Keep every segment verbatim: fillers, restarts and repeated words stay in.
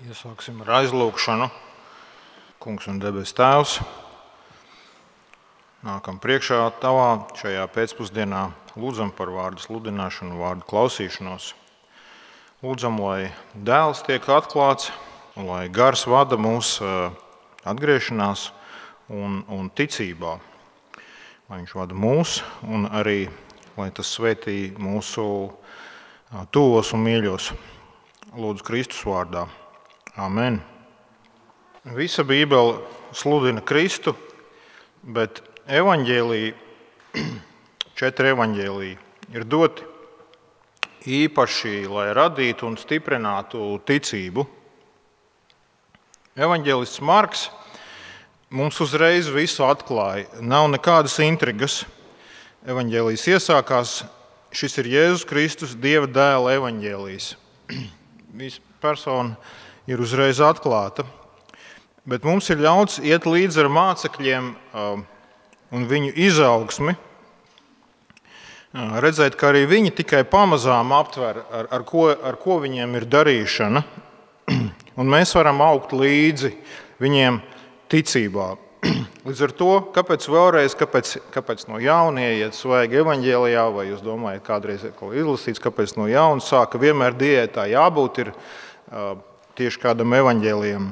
Iesāksim ar aizlūgšanu. Kungs un debes Tēvs, nākam priekšā Tavā šajā pēcpusdienā, lūdzam par vārdu sludināšanu, vārdu klausīšanos. Lūdzam, lai dēls tiek atklāts, un lai gars vada mūs atgriešanās un, un ticībā. Lai viņš vada mūs un arī, lai tas svētī mūsu tuvos un mīļos. Lūdzu Kristus vārdā. Amen. Visa Bībele sludina Kristu, bet evaņģēliji, četri evaņģēliji ir doti īpaši, lai radītu un stiprinātu ticību. Evaņģēlists Marks mums uzreiz visu atklāja. Nav nekādas intrigas. Evaņģēlijs iesākās, šis ir Jēzus Kristus, Dieva dēla evaņģēlijs. Visa persona ir uzreiz atklāta, bet mums ir ļauts iet līdzi ar mācekļiem un viņu izaugsmi, redzēt, ka arī viņi tikai pamazām aptver, ar, ar, ko, ar ko viņiem ir darīšana, un mēs varam augt līdzi viņiem ticībā. Līdz ar to, kāpēc vēlreiz, kāpēc, kāpēc no jauna ieiet svaigi evaņģēlijā, vai jūs domājat, kādreiz ir kaut izlasīts, kāpēc no jauna sāka, vienmēr diētā jābūt ir tieši kādam evaņģēlijam.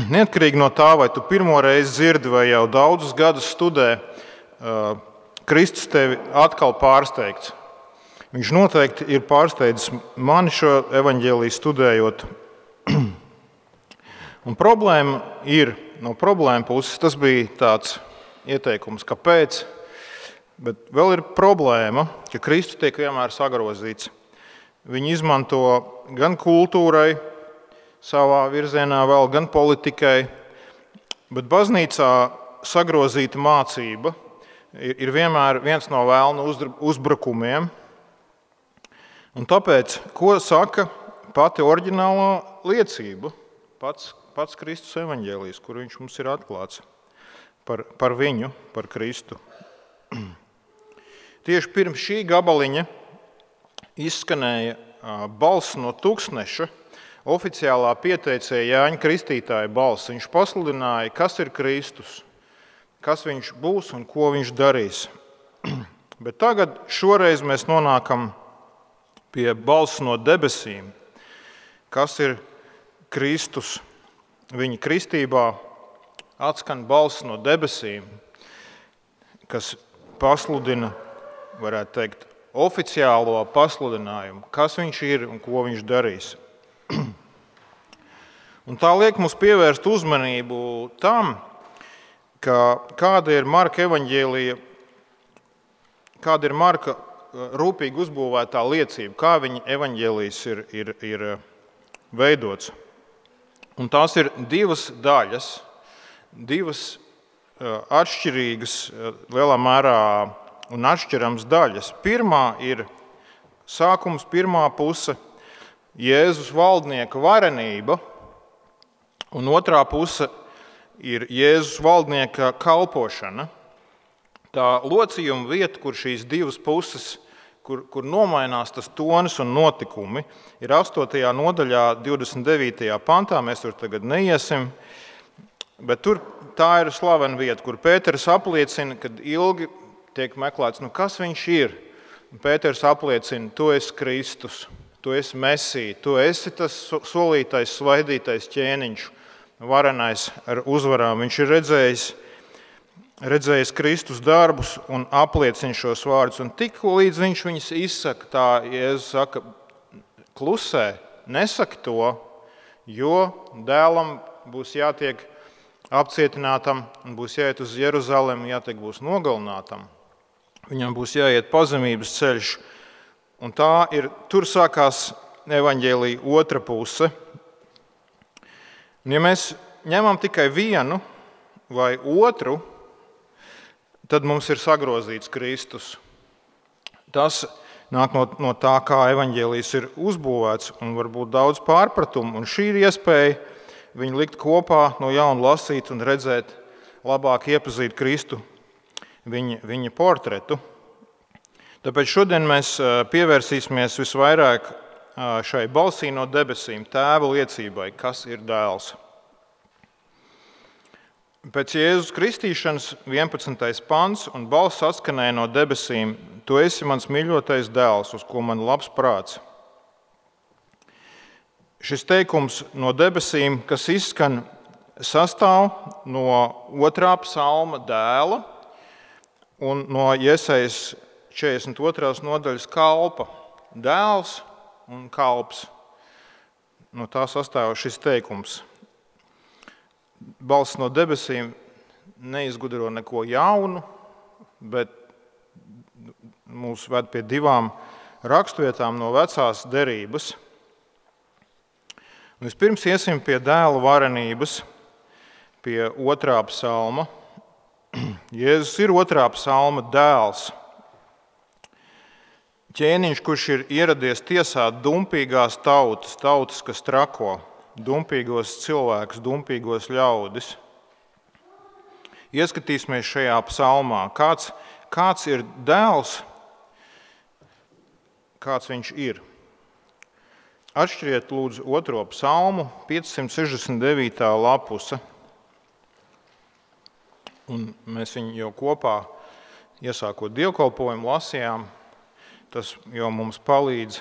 Neatkarīgi no tā, vai tu pirmo reizi dzirdi vai jau daudzus gadus studē, Kristus tevi atkal pārsteigts. Viņš noteikti ir pārsteidzis mani šo evaņģēliju studējot. Un problēma ir, no problēma puses, tas bija tāds ieteikums, kāpēc, bet vēl ir problēma, ka Kristus tiek vienmēr sagrozīts. Viņi izmanto gan kultūrai, savā virzienā vēl, gan politikai, bet baznīcā sagrozīta mācība ir vienmēr viens no vēlna uzbrukumiem. Un tāpēc, ko saka pati oriģinālā liecība, pats, pats Kristus evaņģēlijs, kur viņš mums ir atklāts par, par viņu, par Kristu. Tieši pirms šī gabaliņa izskanēja balss no tūkstneša, oficiālā pieteicēja Jāņa Kristītāja balss. Viņš pasludināja, kas ir Kristus, kas viņš būs un ko viņš darīs. Bet tagad šoreiz mēs nonākam pie balss no debesīm, kas ir Kristus. Viņa kristībā atskan balss no debesīm, kas pasludina, varētu teikt, oficiālo pasludinājumu, kas viņš ir un ko viņš darīs. Un tā liek mums pievērst uzmanību tam, ka kāda ir Marka evaņģēlija, kāda ir Marka rūpīgi uzbūvētā liecība, kā viņa evaņģēlijs ir, ir, ir veidots. Un tās ir divas daļas, divas atšķirīgas, lielā mērā un atšķirams daļas. Pirmā ir sākums, pirmā puse Jēzus valdnieka varenība, un otrā puse ir Jēzus valdnieka kalpošana. Tā locījuma vieta, kur šīs divas puses, kur, kur nomainās tas tonis un notikumi, ir astotajā nodaļā, divdesmit devītajā pantā, mēs tur tagad neiesim, bet tur tā ir slavena vieta, kur Pēters apliecina, kad ilgi tiek meklēts, nu kas viņš ir. Pēters apliecina, tu esi Kristus, tu esi Mesija, tu esi tas solītais, svaidītais ķēniņš, varenais ar uzvarām. Viņš ir redzējis, redzējis Kristus darbus un apliecina šos vārdus. Un tik līdz viņš viņus izsaka, tā Jēzus saka, klusē, nesaka to, jo dēlam būs jātiek apcietinātam un būs jāiet uz Jeruzalemi, jātiek būs nogalinātam. Viņam būs jāiet pazemības ceļš, un tā ir, tur sākās evaņģēlija otra puse. Un ja mēs ņemam tikai vienu vai otru, tad mums ir sagrozīts Kristus. Tas nāk no, no tā, kā evaņģēlijs ir uzbūvēts, un varbūt daudz pārpratumu, un šī ir iespēja viņu likt kopā, no jauna lasīt un redzēt, labāk iepazīt Kristu, viņa, viņa portretu. Tāpēc šodien mēs pievērsīsimies visvairāk šai balsī no debesīm, Tēva liecībai, kas ir dēls. Pēc Jēzus kristīšanas vienpadsmitais pants un balss atskanēja no debesīm: Tu esi mans mīļotais dēls, uz ko man labs prāts. Šis teikums no debesīm, kas izskan, sastāv no otrā psalma dēla un no Jesajas četrdesmit otrās nodaļas kalpa. Dēls un kalps. No tā sastāv šis teikums. Balss no debesīm neizgudro neko jaunu, bet mūs ved pie divām rakstvietām no vecās derības. Vispirms iesim pie dēla varenības, pie otrā psalma. Jēzus ir otrā psalma dēls. Ķēniņš, kurš ir ieradies tiesāt dumpīgās tautas, tautas, kas trako, dumpīgos cilvēkus, dumpīgos ļaudis. Ieskatīsimies šajā psalmā, kāds, kāds ir dēls, kāds viņš ir. Atšķiriet lūdzu otro psalmu, piecsimt sešdesmit devītā lapuse. Un mēs viņu jau kopā, iesākot dievkalpojumu, lasījām. Tas jau mums palīdz.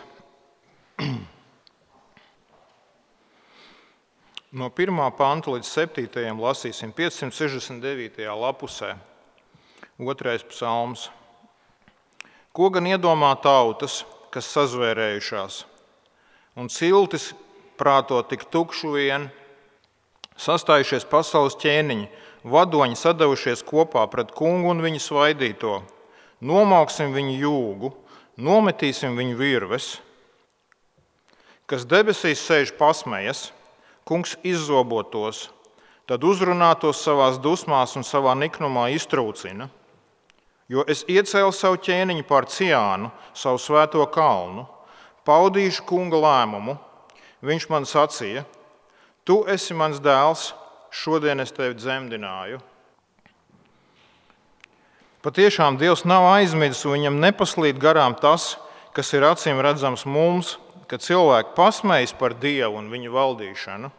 No pirmā panta līdz septītajam lasīsim piecsimt sešdesmit devītajā lapusē. Otrais psalms. Ko gan iedomā tautas, kas sazvērējušās, un ciltis prāto tik tukšu vien, sastājušies pasaules ķēniņi, vadoņi sadavušies kopā pret kungu un viņa svaidīto. Nomauksim viņu jūgu, nometīsim viņu virves. Kas debesīs sēž pasmejas, kungs izzobotos, tad uzrunātos savās dusmās un savā niknumā iztrūcina. Jo es iecēlu savu ķēniņu pār Ciānu, savu svēto kalnu, paudīšu kunga lēmumu. Viņš man sacīja: Tu esi mans dēls, šodien es tevi dzemdināju. Patiešām Dievs nav aizmidzis, un viņam nepaslīd garām tas, kas ir acīm redzams mums, kad cilvēki pasmējas par Dievu un viņa valdīšanu,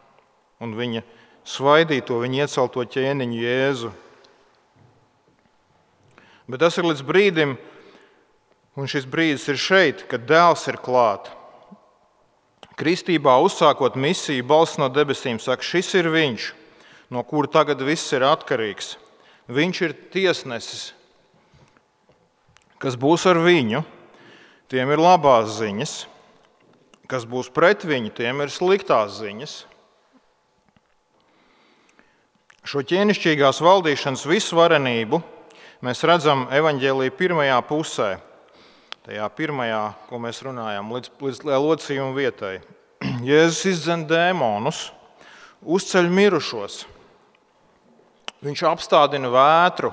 un viņa svaidīto, viņa iecelto ķēniņu Jēzu. Bet tas ir līdz brīdim, un šis brīdis ir šeit, kad dēls ir klāt. Kristībā uzsākot misiju, balss no debesīm saka: šis ir viņš, no kura tagad viss ir atkarīgs. Viņš ir tiesnesis, kas būs ar viņu, tiem ir labās ziņas, kas būs pret viņu, tiem ir sliktās ziņas. Šo ķēnišķīgās valdīšanas visvarenību mēs redzam evaņģēlija pirmajā pusē, tajā pirmajā, ko mēs runājam, līdz, līdz locījuma vietai. Jēzus izdzen dēmonus, uzceļ mirušos, viņš apstādina vētru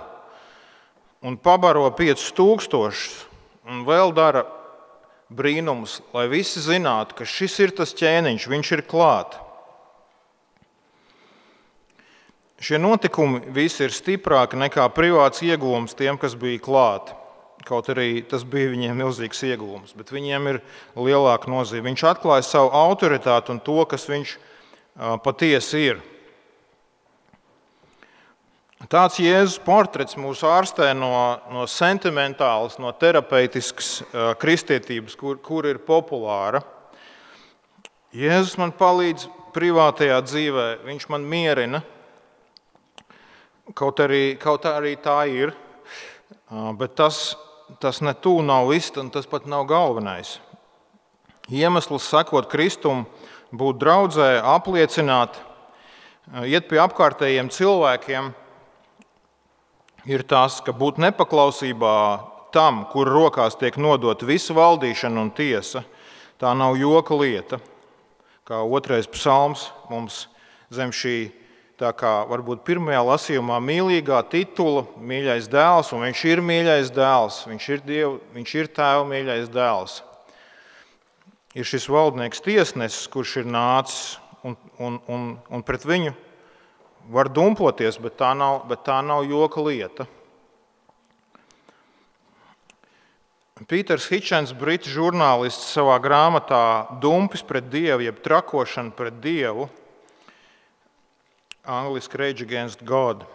un pabaro piecus tūkstošus un vēl dara brīnumus, lai visi zinātu, ka šis ir tas ķēniņš, viņš ir klāt. Šie notikumi visi ir stiprāki nekā privāts ieguvums tiem, kas bija klāt. Kaut arī tas bija viņiem milzīgs ieguvums, bet viņiem ir lielāka nozīme. Viņš atklāja savu autoritāti un to, kas viņš patiesi ir. Tāds Jēzus portrets mūs ārstē no, no sentimentālas, no terapeitiskas uh, kristietības, kur, kur ir populāra. Jēzus man palīdz privātajā dzīvē, viņš man mierina, kaut arī, kaut arī tā ir, uh, bet tas, tas ne tū nav viss, un tas pat nav galvenais. Iemesls sekot Kristum, būt draudzē, apliecināt, uh, iet pie apkārtējiem cilvēkiem, ir tas, ka būt nepaklausībā tam, kur rokās tiek nodot visa valdīšana un tiesa, tā nav joka lieta. Kā otrais psalms mums zem šī, tā kā varbūt pirmajā lasījumā, mīlīgā titula, mīļais dēls, un viņš ir mīļais dēls, viņš ir Dievu, viņš ir Tēva mīļais dēls. Ir šis valdnieks tiesnesis, kurš ir nācis, un, un, un, un pret viņu var dumpoties, bet tā nav, bet tā nav joka lieta. Pīters Hitchens, britu žurnālists, savā grāmatā Dumpis pret Dievu, jeb trakošana pret Dievu, angliski Rage Against God.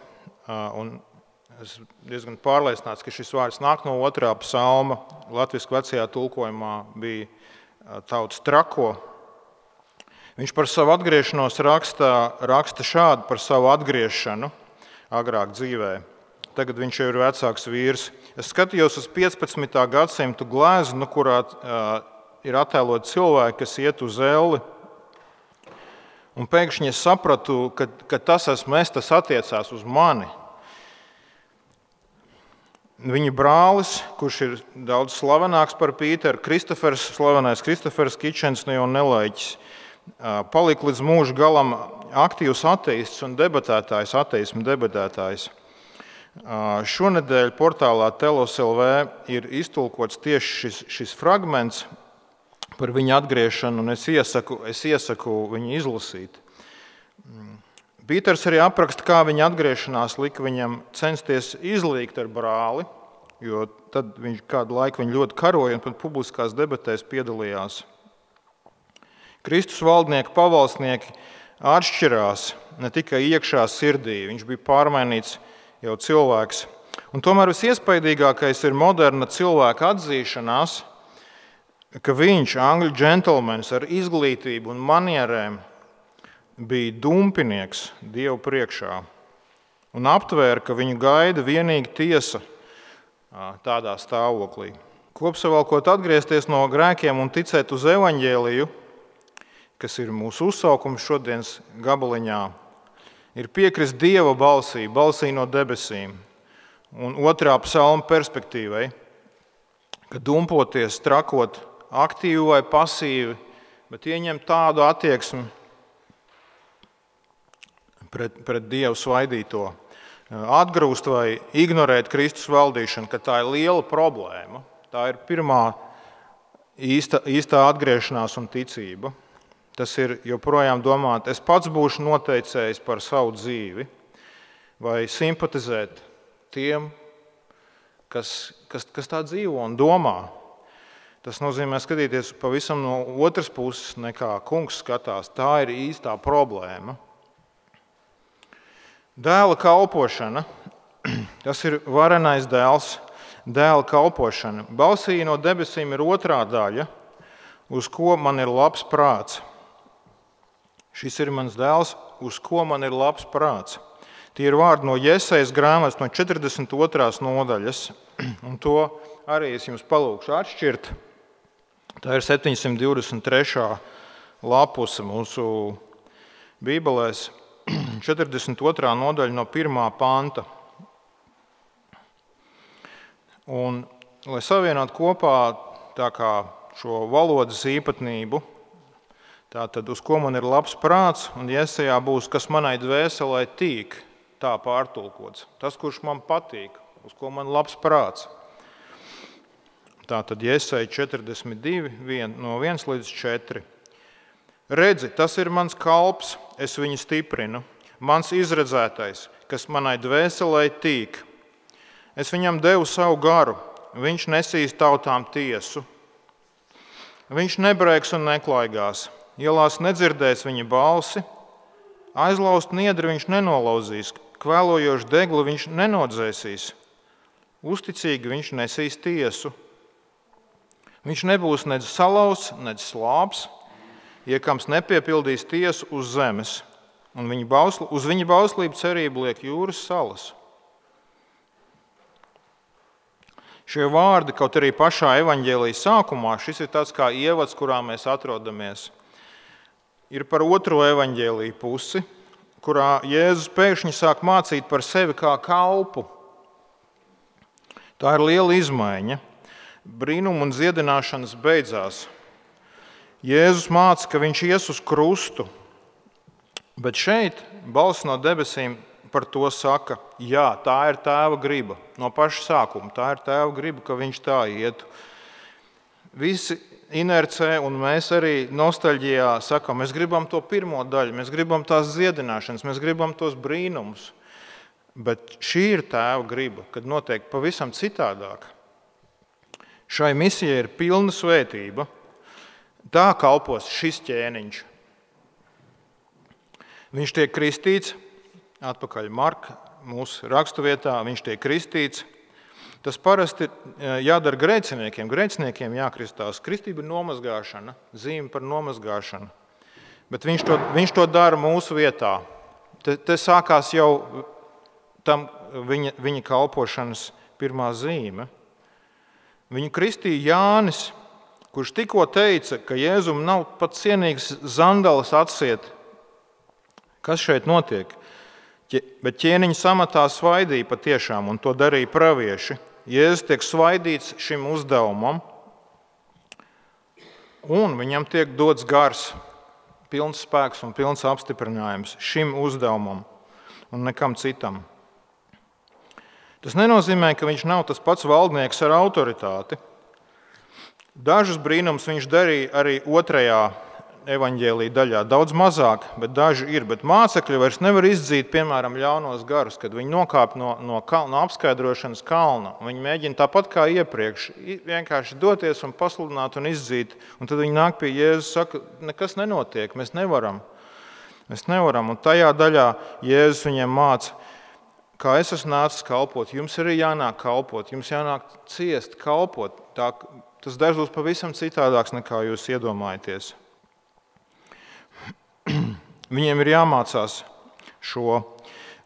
Un es diezgan pārliecināts, ka šis vārds nāk no otrā psalma. Latviski vecajā tulkojumā bija tauts trako. Viņš par savu atgriešanos raksta, raksta šādi par savu atgriešanu agrāk dzīvē. Tagad viņš jau ir vecāks vīrs. Es skatījos uz piecpadsmitā gadsimtu gleznu, kurā uh, ir attēloti cilvēki, kas iet uz elli. Un pēkšņi es sapratu, ka, ka tas esmu es, tas attiecās uz mani. Viņa brālis, kurš ir daudz slavenāks par Pīteru, Kristofers, slavenais Kristofers Hitchens, ne jau nelaiķis, uh, palika līdz mūža galam aktīvs ateists un debatētājs, ateismu debatētājs. Šonedēļ portālā Telos L V ir iztulkots tieši šis, šis fragments par viņa atgriešanu, un es iesaku, es iesaku viņu izlasīt. Pīters arī apraksta, kā viņa atgriešanās lika viņam censties izlīgt ar brāli, jo tad viņš kādu laiku viņu ļoti karoja un pat publiskās debatēs piedalījās. Kristus valdnieki, pavalsnieki atšķirās ne tikai iekšā sirdī, viņš bija pārmainīts jau cilvēks. Un tomēr visiespaidīgākais ir moderna cilvēka atzīšanās, ka viņš, angļu džentelmenis ar izglītību un manierēm, bija dumpinieks Dievu priekšā un aptvēra, ka viņu gaida vienīgi tiesa tādā stāvoklī. Kopsavilkot, atgriezties no grēkiem un ticēt uz evaņģēliju, kas ir mūsu uzsaukums šodienas gabaliņā, ir piekrist Dieva balsī, balsī no debesīm. Un otrā psalma perspektīvai, ka dumpoties, trakot aktīvi vai pasīvi, bet ieņemt tādu attieksmi pret, pret Dievu svaidīto, atgrūst vai ignorēt Kristus valdīšanu, ka tā ir liela problēma. Tā ir pirmā īsta, īstā atgriešanās un ticība. Tas ir joprojām domāt, es pats būšu noteicējis par savu dzīvi vai simpatizēt tiem, kas, kas, kas tā dzīvo un domā. Tas nozīmē skatīties pavisam no otras puses, nekā kungs skatās. Tā ir īstā problēma. Dēla kalpošana, tas ir varenais dēls, dēla kalpošana. Balsī no debesīm ir otrā daļa, uz ko man ir labs prāts. Šis ir mans dēls, uz ko man ir labs prāts. Tie ir vārdi no Jesajas grāmatas no četrdesmit otrās nodaļas, un to arī es jums palūkšu atšķirt. Tā ir septiņsimt divdesmit trešā lapuse mūsu bībelēs, četrdesmit otrā nodaļa no pirmā panta. Un, lai savienot kopā tā kā šo valodas īpatnību, tātad, uz ko man ir labs prāts, un Jesajā būs, kas manai dvēselē tīk, tā pārtulkots. Tas, kurš man patīk, uz ko man labs prāts. Tātad Jesaja četrdesmit divi, no viens līdz četri. Redzi, tas ir mans kalps, es viņu stiprinu, mans izredzētais, kas manai dvēselē tīk. Es viņam devu savu garu, viņš nesīs tautām tiesu. Viņš nebrēks un neklaigās. Ielās nedzirdēs viņa balsi, aizlaust niedri viņš nenolauzīs, kvēlojošu degli viņš nenodzēsīs, uzticīgi viņš nesīs tiesu. Viņš nebūs nedz salauzts, nedz slāps, iekams nepiepildīs tiesu uz zemes, un viņa bausl, uz viņa bauslību cerību liek jūras salas. Šie vārdi, kaut arī pašā evaņģēlija sākumā, šis ir tāds kā ievads, kurā mēs atrodamies, ir par otro evaņģēliju pusi, kurā Jēzus pēkšņi sāk mācīt par sevi kā kalpu. Tā ir liela izmaiņa. Brīnuma un dziedināšanas beidzās. Jēzus māca, ka viņš ies uz krustu, bet šeit balss no debesīm par to saka, jā, tā ir tēva griba. No paša sākuma tā ir tēva griba, ka viņš tā ietu. Visi inercē, un mēs arī nostalģijā sakām, mēs gribam to pirmo daļu, mēs gribam tās dziedināšanas, mēs gribam tos brīnumus. Bet šī ir tēva griba, kad notiek pavisam citādāk. Šai misijai ir pilna svētība. Tā kalpos šis ķēniņš. Viņš tiek kristīts, atpakaļ Marka mūsu raksturvietā, viņš tiek kristīts. Tas parasti jādara grēciniekiem. Grēciniekiem jākristās. Kristība ir nomazgāšana, zīme par nomazgāšanu. Bet viņš to, viņš to dara mūsu vietā. Te, te sākās jau tam viņa, viņa kalpošanas pirmā zīme. Viņu kristīja Jānis, kurš tikko teica, ka Jēzum nav pat cienīgs zandalas atsiet. Kas šeit notiek? Bet ķēniņa samatā svaidīja patiešām, un to darīja pravieši. Jēzus tiek svaidīts šim uzdevumam, un viņam tiek dots gars, pilns spēks un pilns apstiprinājums šim uzdevumam un nekam citam. Tas nenozīmē, ka viņš nav tas pats valdnieks ar autoritāti. Dažus brīnumus viņš darīja arī otrajā evaņģēlija daļā. Daudz mazāk, bet daži ir. Bet mācekļi vairs nevar izdzīt, piemēram, ļaunos garus, kad viņi nokāp no, no, kal, no apskaidrošanas kalna. Viņi mēģina tāpat kā iepriekš vienkārši doties un pasludināt un izdzīt. Un tad viņi nāk pie Jēzus un saka, nekas nenotiek, mēs nevaram. Mēs nevaram. Un tajā daļā Jēzus viņiem māca, kā es esmu nācis kalpot, jums arī jānāk kalpot, jums jānāk ciest, kalpot. Tā, tas dažos pavisam citādāks, nekā jūs iedomājaties. Viņiem ir jāmācās šo,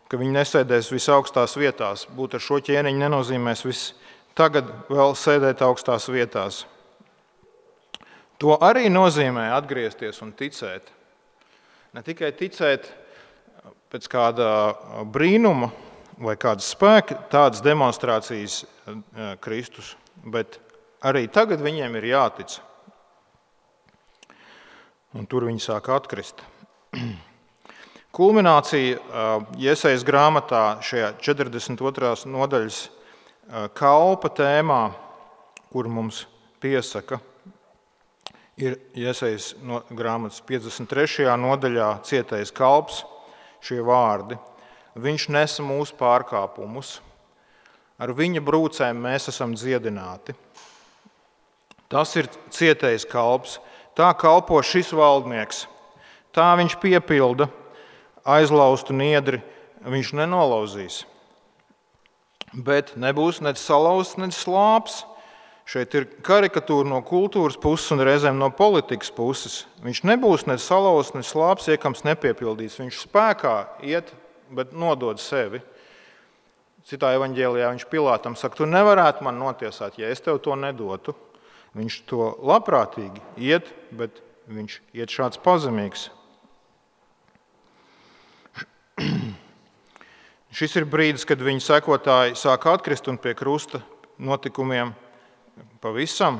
ka viņi nesēdēs visaugstās vietās. Būt ar šo ķēniņu nenozīmēs viss tagad vēl sēdēt augstās vietās. To arī nozīmē atgriezties un ticēt. Ne tikai ticēt pēc kāda brīnuma vai kādas spēka, tādas demonstrācijas Kristus, bet arī tagad viņiem ir jātic. Un tur viņi sāk atkrist. Kulminācija Jesajas grāmatā šajā četrdesmit otrās nodaļas kalpa tēmā, kur mums piesaka, ir Jesajas grāmatas piecdesmit trešajā nodaļā cietais kalps, šie vārdi. Viņš nesa mūsu pārkāpumus, ar viņa brūcēm mēs esam dziedināti. Tas ir cietais kalps. Tā kalpo šis valdnieks. Tā viņš piepilda aizlaustu niedri, viņš nenolauzīs. Bet nebūs nec salauzts, nec slāps. Šeit ir karikatūra no kultūras puses un reizēm no politikas puses. Viņš nebūs nec salauzts, nec slāps, iekams nepiepildīts. Viņš spēkā iet, bet nodod sevi. Citā evaņģēlijā viņš Pilātam saka, tu nevarētu man notiesāt, ja es tev to nedotu. Viņš to labprātīgi iet, bet viņš iet šāds pazemīgs. Šis ir brīdis, kad viņa sekotāji sāk atkrist un pie krusta notikumiem pavisam.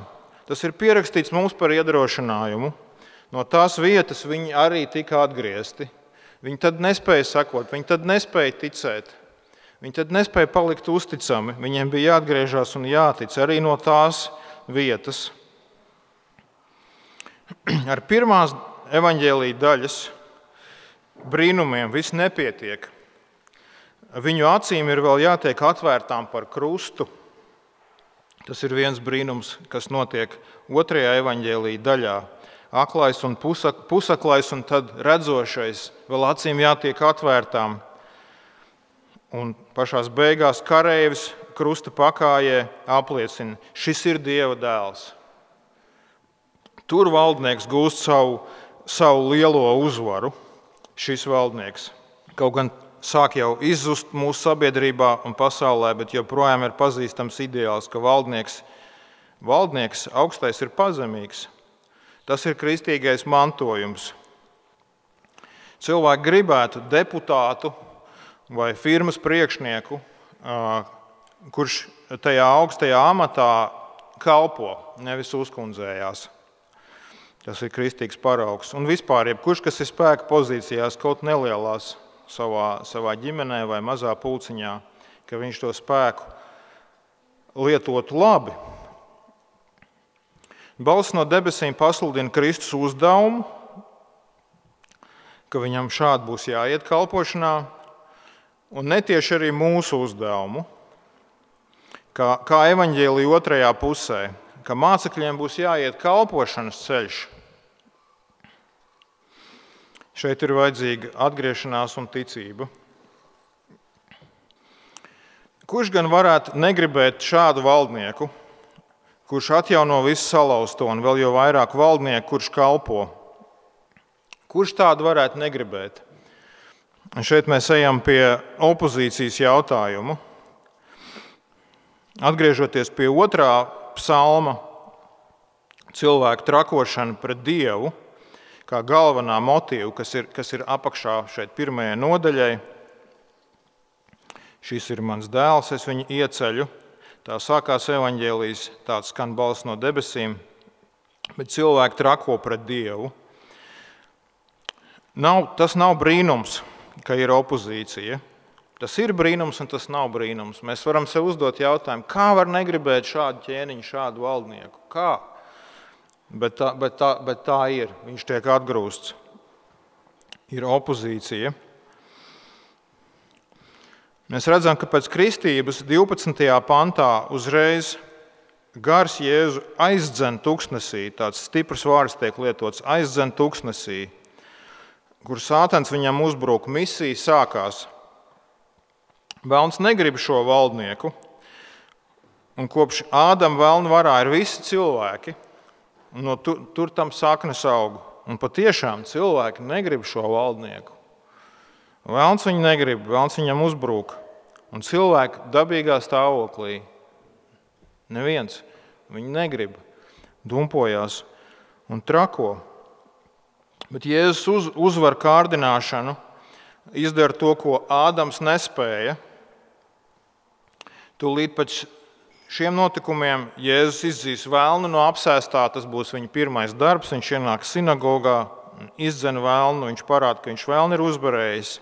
Tas ir pierakstīts mums par iedrošinājumu. No tās vietas viņi arī tika atgriezti. Viņi tad nespēja sekot, viņi tad nespēja ticēt. Viņi tad nespēja palikt uzticami. Viņiem bija jāatgriežas un jātic arī no tās vietas. Ar pirmās evaņģēlija daļas brīnumiem viss nepietiek. Viņu acīm ir vēl jātiek atvērtām par krustu. Tas ir viens brīnums, kas notiek otrajā evaņģēlija daļā. Aklais un pusak, pusaklais un tad redzošais vēl acīm jātiek atvērtām. Un pašās beigās kareivis krusta pakājē apliecina, šis ir Dieva dēls. Tur valdnieks gūst savu, savu lielo uzvaru, šis valdnieks. Kaut gan sāk jau izzust mūsu sabiedrībā un pasaulē, bet joprojām ir pazīstams ideāls, ka valdnieks, valdnieks augstais ir pazemīgs. Tas ir kristīgais mantojums. Cilvēki gribētu deputātu vai firmas priekšnieku, kurš tajā augstajā amatā kalpo, nevis uzkundzējās. Tas ir kristīgs paraugs. Un vispār, jebkurš, kas ir spēka pozīcijās, kaut nelielās savā, savā ģimenē vai mazā pulciņā, ka viņš to spēku lietotu labi. Balss no debesīm pasludina Kristus uzdevumu, ka viņam šādi būs jāiet kalpošanā, un netieši arī mūsu uzdevumu, kā, kā evaņģēlija otrajā pusē. ka mācekļiem būs jāiet kalpošanas ceļš. Šeit ir vajadzīga atgriešanās un ticība. Kurš gan varētu negribēt šādu valdnieku, kurš atjauno visu salauzto un vēl jau vairāk valdnieku, kurš kalpo? Kurš tādu varētu negribēt? Un šeit mēs ejam pie opozīcijas jautājumu. Atgriežoties pie otrā psalma, cilvēku trakošana pret Dievu, kā galvenā motīva, kas ir, kas ir apakšā šeit pirmajai nodaļai. Šis ir mans dēls, es viņu ieceļu. Tā sākās evaņģēlijas, tāds skan balss no debesīm, bet cilvēki trako pret Dievu. Nav, tas nav brīnums, ka ir opozīcija. Tas ir brīnums un tas nav brīnums. Mēs varam sev uzdot jautājumu, kā var negribēt šādu ķēniņu, šādu valdnieku? Kā? Bet tā, bet, tā, bet tā ir. Viņš tiek atgrūsts. Ir opozīcija. Mēs redzam, ka pēc kristības divpadsmitajā pantā uzreiz gars Jēzu aizdzen tuksnesī, tāds stiprs vārds tiek lietots, aizdzen tuksnesī, kur sātans viņam uzbruk, misija sākās. Velns negrib šo valdnieku, un kopš Ādama velna varā ir visi cilvēki, un no tur, tur tam saknes aug. Un patiešām cilvēki negrib šo valdnieku. Velns viņu negrib, velns viņam uzbrūk. Un cilvēki dabīgā stāvoklī. Neviens viņu negrib, dumpojās un trako. Bet Jēzus uz, uzvar kārdināšanu, izdara to, ko Ādams nespēja. Tūlīt pēc šiem notikumiem Jēzus izdzīs velnu no apsēstā, tas būs viņa pirmais darbs, viņš ienāk sinagogā, izdzen velnu, viņš parāda, ka viņš velnu ir uzvarējis,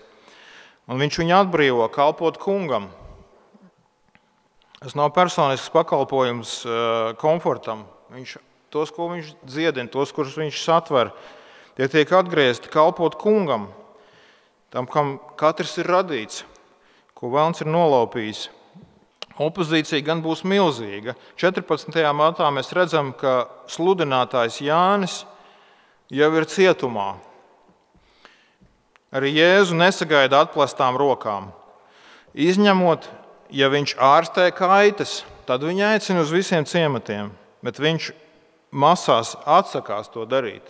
un viņš viņu atbrīvo kalpot kungam. Tas nav personisks pakalpojums komfortam. Viņš, tos, ko viņš dziedina, tos, kurus viņš satver, tie tiek atgriezti kalpot kungam, tam, kam katrs ir radīts, ko velns ir nolaupījis. Opozīcija gan būs milzīga. četrpadsmitajā matā mēs redzam, ka sludinātājs Jānis jau ir cietumā. Arī Jēzu nesagaida atplestām rokām. Izņemot, ja viņš ārstē kaitas, tad viņu aicina uz visiem ciematiem, bet viņš masās atsakās to darīt.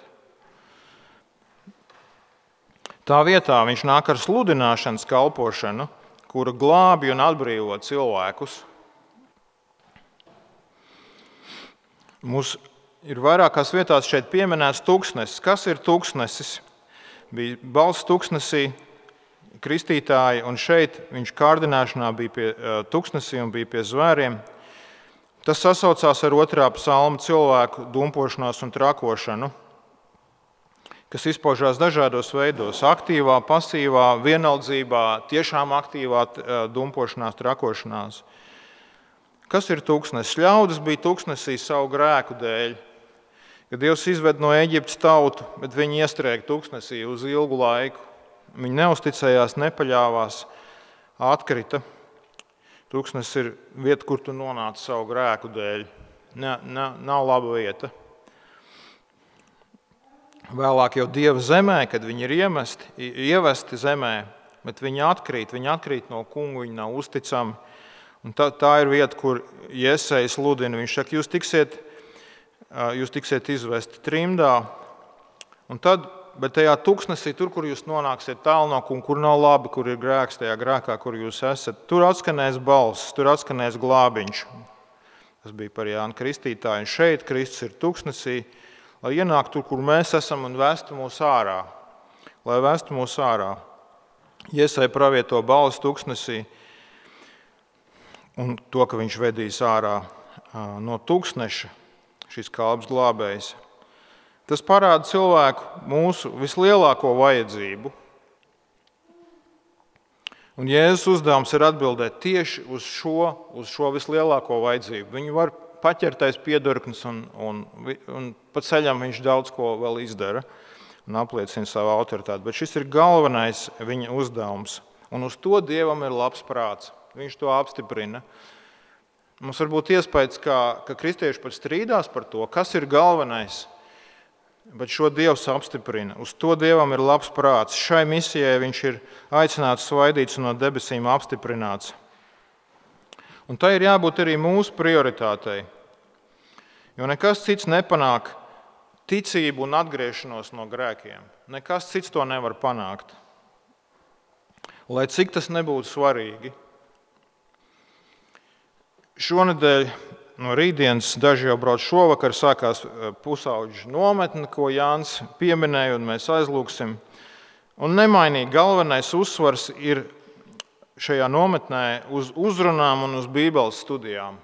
Tā vietā viņš nāk ar sludināšanas kalpošanu, kura glābi un atbrīvo cilvēkus. Mums ir vairākās vietās šeit pieminēts tuksnesis. Kas ir tuksnesis? Bija balss tuksnesī, kristītāji, un šeit viņš kārdināšanā bija pie tuksnesī un bija pie zvēriem. Tas sasaucās ar otrā psalma cilvēku dumpošanos un trakošanu, kas izpaužās dažādos veidos - aktīvā, pasīvā, vienaldzībā, tiešām aktīvā dumpošanās, trakošanās. Kas ir tuksnesis? Ļaudis bija tuksnesī savu grēku dēļ. Kad Dievs izved no Ēģiptes tautu, bet viņi iestrēga tuksnesī uz ilgu laiku. Viņi neusticējās, nepaļāvās, atkrita. Tuksnesis ir vieta, kur tu nonāci savu grēku dēļ. Ne, ne, nav laba vieta. Vēlāk jau Dieva zemē, kad viņi ir iemesti, ievesti zemē, bet viņi atkrīt, viņi atkrīt no kungu, viņi nav uzticami. Un tā, tā ir vieta, kur Jesejs sludina. Viņš saka, jūs tiksiet, jūs tiksiet izvesti trimdā, un tad, bet tajā tuksnesī, tur, kur jūs nonāksiet tālu no kunga, kur nav labi, kur ir grēks, tajā grēkā, kur jūs esat, tur atskanēs balss, tur atskanēs glābiņš. Tas bija par Jānu Kristītāju. Un šeit Kristus ir tuksnesī, lai ienāk tur, kur mēs esam, un vestu mūs ārā. Lai vestu mūs ārā. Iesai pravieto balsi tuksnesī un to, ka viņš vedīs ārā no tuksneša, šis kalps glābējs. Tas parāda cilvēku mūsu vislielāko vajadzību. Un Jēzus uzdevums ir atbildēt tieši uz šo, uz šo vislielāko vajadzību. Viņu var paķertais piedurknis, un, un, un pa ceļam viņš daudz ko vēl izdara un apliecina savu autoritāti. Bet šis ir galvenais viņa uzdevums. Un uz to Dievam ir labs prāts. Viņš to apstiprina. Mums var būt iespējas, ka, ka kristieši pat strīdās par to, kas ir galvenais, bet šo Dievs apstiprina. Uz to Dievam ir labs prāts. Šai misijai viņš ir aicināts, svaidīts un no debesīm apstiprināts. Un tai ir jābūt arī mūsu prioritātei, jo nekas cits nepanāk ticību un atgriešanos no grēkiem. Nekas cits to nevar panākt. Lai cik tas nebūtu svarīgi. Šonedēļ no rītdienas daži jau brauc šovakar, sākās pusauģu nometne, ko Jānis pieminēja, un mēs aizlūgsim. Un nemainīgi galvenais uzsvars ir šajā nometnē uz uzrunām un uz Bībeles studijām.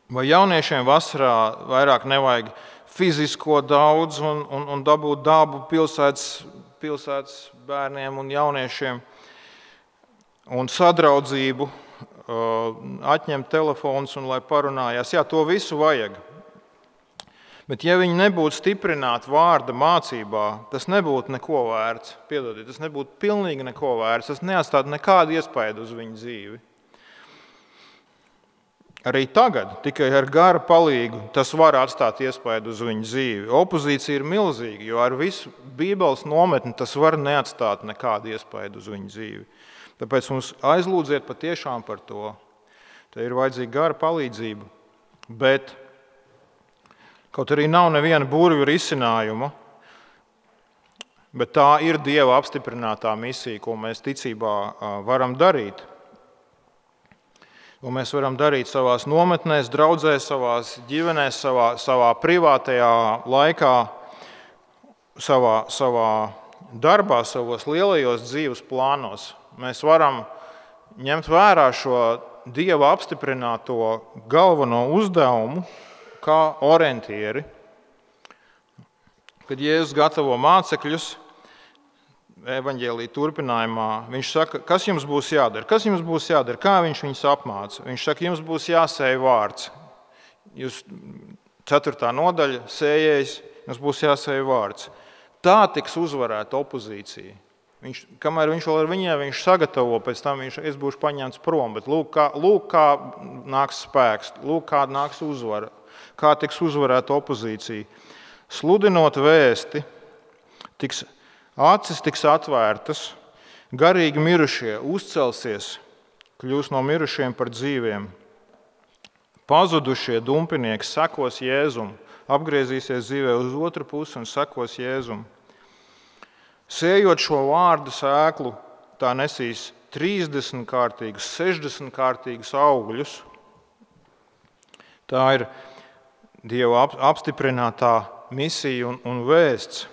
Vai jauniešiem vasarā vairāk nevajag fizisko daudz un, un, un dabūt dabu pilsētas, pilsētas bērniem un jauniešiem un sadraudzību, atņemt telefonus un lai parunājās. Jā, to visu vajag. Bet ja viņi nebūtu stiprināti vārda mācībā, tas nebūtu neko vērts. Piedodiet, tas nebūtu pilnīgi neko vērts. Tas neatstātu nekādu iespaidu uz viņu dzīvi. Arī tagad, tikai ar gara palīgu, tas var atstāt iespaidu uz viņu dzīvi. Opozīcija ir milzīga, jo ar visu Bībeles nometni tas var neatstāt nekādu iespaidu uz viņu dzīvi. Tāpēc mums aizlūdziet patiešām par to. Te ir vajadzīga gara palīdzība, bet kaut arī nav neviena burvju risinājuma, bet tā ir Dieva apstiprinātā misija, ko mēs ticībā varam darīt. Ko mēs varam darīt savās nometnēs, draudzēs, savās ģimenēs, savā, savā privātajā laikā, savā, savā darbā, savos lielajos dzīves plānos. Mēs varam ņemt vērā šo Dieva apstiprināto galveno uzdevumu, kā orientieri. Kad Jēzus gatavo mācekļus evaņģēlija turpinājumā, viņš saka, kas jums būs jādara? Kas jums būs jādara? Kā viņš viņus apmāca? Viņš saka, jums būs jāsēj vārds. Jūs ceturtā nodaļa, sējējs, jums būs jāsēj vārds. Tā tiks uzvarēta opozīcija. Viņš, kamēr viņš vēl ar viņiem, viņš sagatavo, pēc tam viņš, es būšu paņemts prom, bet lūk kā, lūk, kā nāks spēks, lūk, kā nāks uzvara. Kā tiks uzvarēta opozīcija. Sludinot vēsti, tiks, acis tiks atvērtas, garīgi mirušie uzcelsies, kļūs no mirušiem par dzīviem. Pazudušie dumpinieki sekos Jēzum, apgriezīsies dzīvē uz otru pusi un sekos Jēzum. Sējot šo vārdu sēklu, tā nesīs trīsdesmit kārtīgus, sešdesmit kārtīgus augļus. Tā ir Dieva apstiprinātā misija un, un vēsts.